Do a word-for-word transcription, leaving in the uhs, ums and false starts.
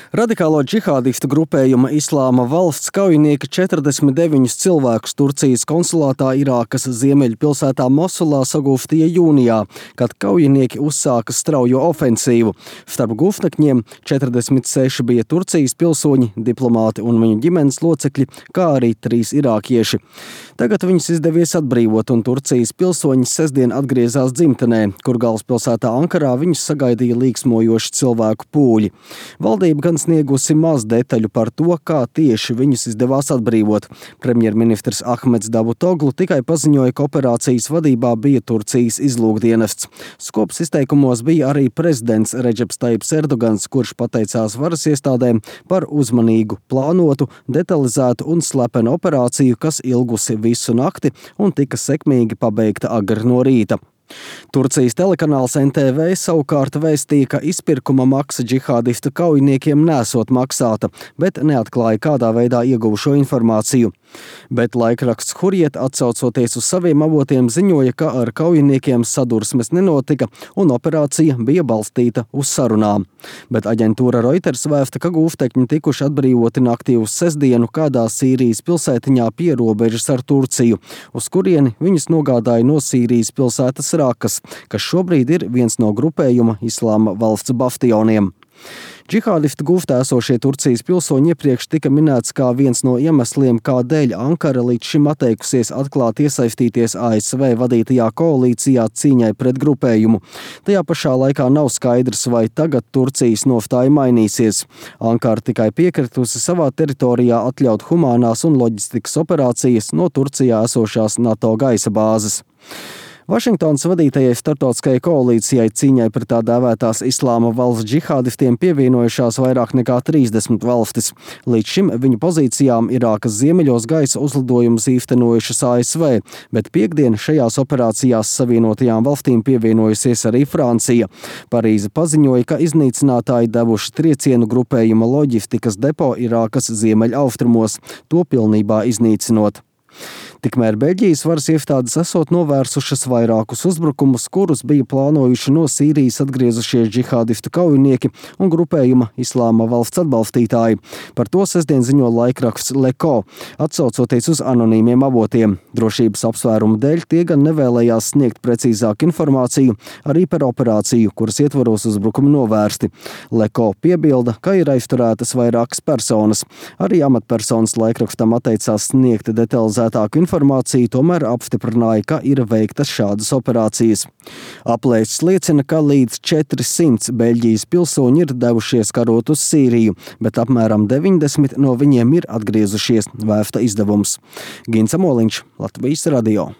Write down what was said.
Radikālo džihādistu grupējuma Islāma valsts kaujinieki četrdesmit deviņus cilvēkus Turcijas konsulātā Irākas ziemeļu pilsētā Mosulā sagūstīja jūnijā, kad kaujinieki uzsāka straujo ofensīvu. Starp gūstekņiem četrdesmit seši bija Turcijas pilsoņi, diplomāti un viņu ģimenes locekļi, kā arī trīs irākieši. Tagad viņus izdevies atbrīvot, un Turcijas pilsoņi sestdien atgriezās dzimtenē, kur galvaspilsētā Ankarā viņus sagaidīja līksmojoši cilvēku pūļi. Valdība gan sniegusi maz detaļu par to, kā tieši viņus izdevās atbrīvot. Premjerministrs Ahmeds Davutoglu tikai paziņoja, ka operācijas vadībā bija Turcijas izlūkdienests. Skops izteikumos bija arī prezidents Redžeps Taips Erdogans, kurš pateicās varas iestādēm par uzmanīgu, plānotu, detalizētu un slepenu operāciju, kas ilgusi visu nakti un tika sekmīgi pabeigta agri no rīta. Turcijas telekanāls N T V savukārt vēstīja, ka izpirkuma maksa džihādistu kaujiniekiem nesot maksāta, bet neatklāja, kādā veidā ieguva šo informāciju. Bet laikraksts Hurriet, atsaucoties uz saviem avotiem, ziņoja, ka ar kaujiniekiem sadursmes nenotika un operācija bija balstīta uz sarunām. Bet aģentūra Reuters vēsta, ka gūstekņi tikuši atbrīvoti naktī uz sestdienu kādā Sīrijas pilsētiņā pie robežas ar Turciju, uz kurieni viņus nogādāja no Sīrijas pilsētas Rakas, kas šobrīd ir viens no grupējuma Islāma valsts bastioniem. Džihādistu gūstā esošie Turcijas pilsoņi iepriekš tika minēts kā viens no iemesliem, kādēļ Ankara līdz šim atteikusies atklāti iesaistīties A S V vadītajā koalīcijā cīņai pret grupējumu. Tajā pašā laikā nav skaidrs, vai tagad Turcijas nostāja mainīsies. Ankara tikai piekritusi savā teritorijā atļaut humānās un loģistikas operācijas no Turcijā esošās NATO gaisa bāzes. Vašingtonas vadītajai starptautiskajai koalīcijai cīņai pret tā dēvētās Islāma valsts džihādistiem pievienojušās vairāk nekā trīsdesmit valstis. Līdz šim viņu pozīcijām Irākas ziemeļos gaisa uzlidojumus īstenojušas A S V, bet piektdien šajās operācijās Savienotajām valstīm pievienojusies arī Francija. Parīze paziņoja, ka iznīcinātāji devuši triecienu grupējuma loģistikas depo Irākas ziemeļaustrumos, to pilnībā iznīcinot. Tikmēr Beļģijas varas iestādes esot novērsušas vairākus uzbrukumus, kurus bija plānojuši no Sīrijas atgriezušies džihādistu kaujinieki un grupējuma Islāma valsts atbalstītāji. Par to sestdien ziņo laikraksts Leko, atsaucoties uz anonīmiem avotiem. Drošības apsvērumu dēļ tie gan nevēlējās sniegt precīzāku informāciju arī par operāciju, kuras ietvaros uzbrukumi novērsti. Leko piebilda, ka ir aizturētas vairākas personas. Arī amatpersonas laikrakstam atteicās sniegt detalizētāku informāciju, tomēr apstiprināja, ka ir veiktas šādas operācijas. Aplēses liecina, ka līdz četrsimt Beļģijas pilsoņi ir devušies karot uz Sīriju, bet apmēram deviņdesmit no viņiem ir atgriezušies, vēsta izdevums. Gins Amoliņš, Latvijas radio.